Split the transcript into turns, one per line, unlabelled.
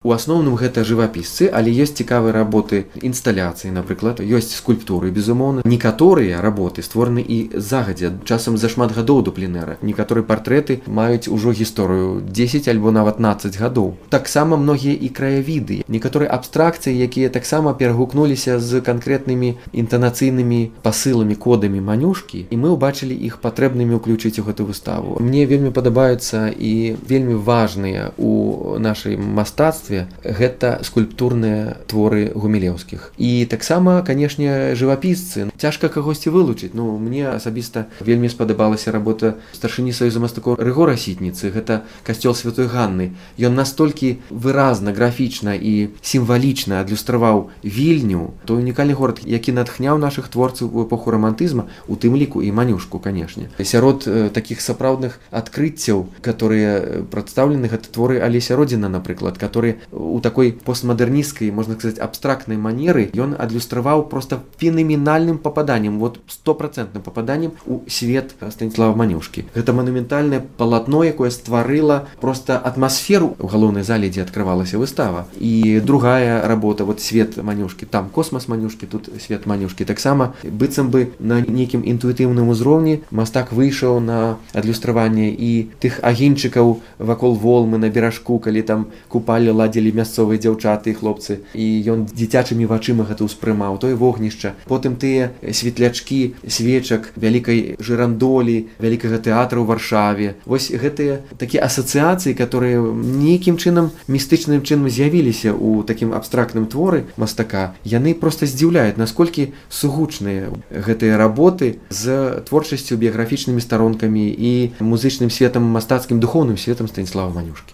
У асноўным гэта жывапісцы, але ёсць цікавыя работы інсталяцыі, напрыклад, ёсць скульптуры, безумоўна. Некаторыя работы створаны і загадзя, часам за шмат гадоў до пленэра. Некаторыя партрэты маюць ужо гісторыю 10 альбо нават 15 гадоў. Таксама многія і краявіды, некаторыя абстракцыі, якія таксама перагукнуліся з канкрэтнымі інтанацыйнымі пасыламі, кодамі Манюшкі, і мы ўбачылі іх патрэбнымі ўключыць у гэту выставу. Мне вельмі падабаюцца і вельмі важныя у нашай мастацтве гэта скульптурныя творы гумілеўскіх. І таксама, канешне, жывапісцы. Цяжка кагосьці вылучыць. Ну, мне асабіста вельмі спадабалася работа старшыні Саюза мастакоў Рыгора Сітніцы. Гэта касцёл Святой Ганны. Ён настолькі выразна, графічна і сімвалічна адлюстраваў Вільню, той унікальны горад, які натхняў нашых творцаў у эпоху рамантызма, у тым ліку і Манюшку, канешне. Сярод такіх сапраўдных адкрыццяў, которые прадстаўлены, гэта творы Алеся Родзіна, напрыклад, которые у такой постмодерністкай, можна сказаць, абстрактнай манеры ён адлюстраваў просто фенаменальным попаданнем, вот 100% попаданнем у свет Станіслава Манюшкі. Гэта манументальнае палатно, якое стварыла просто атмасферу ў галоўнай зале, дзе адкрывалася выстава. І другая работа, вот свет Манюшкі, там космас Манюшкі, тут свет Манюшкі. Таксама быццам бы на нейкім інтуітыўным узроўні мастак выйшаў на адлюстраванне і тых агеньчыкаў вакол Волмы на беражку, калі там купалі, ладзілі мясцовыя дзяўчаты і хлопцы, і ён дзіцячымі вачыма гэта ўспрымаў, тое вогнішча. Потым тыя светлячкі свечак вялікай жырандолі, вялікага тэатра ў Варшаве. Вось гэтыя такія асацыяцыі, которые нейкім чынам, містычным чынам з'явіліся ў такім абстрактным творы мастака, яны проста здзіўляюць, насколькі сугучныя гэтыя работы з творчасцю, біяграфічнымі старонкамі і музычным светам, мастацкім, духоўным светам Станіслава Манюшкі.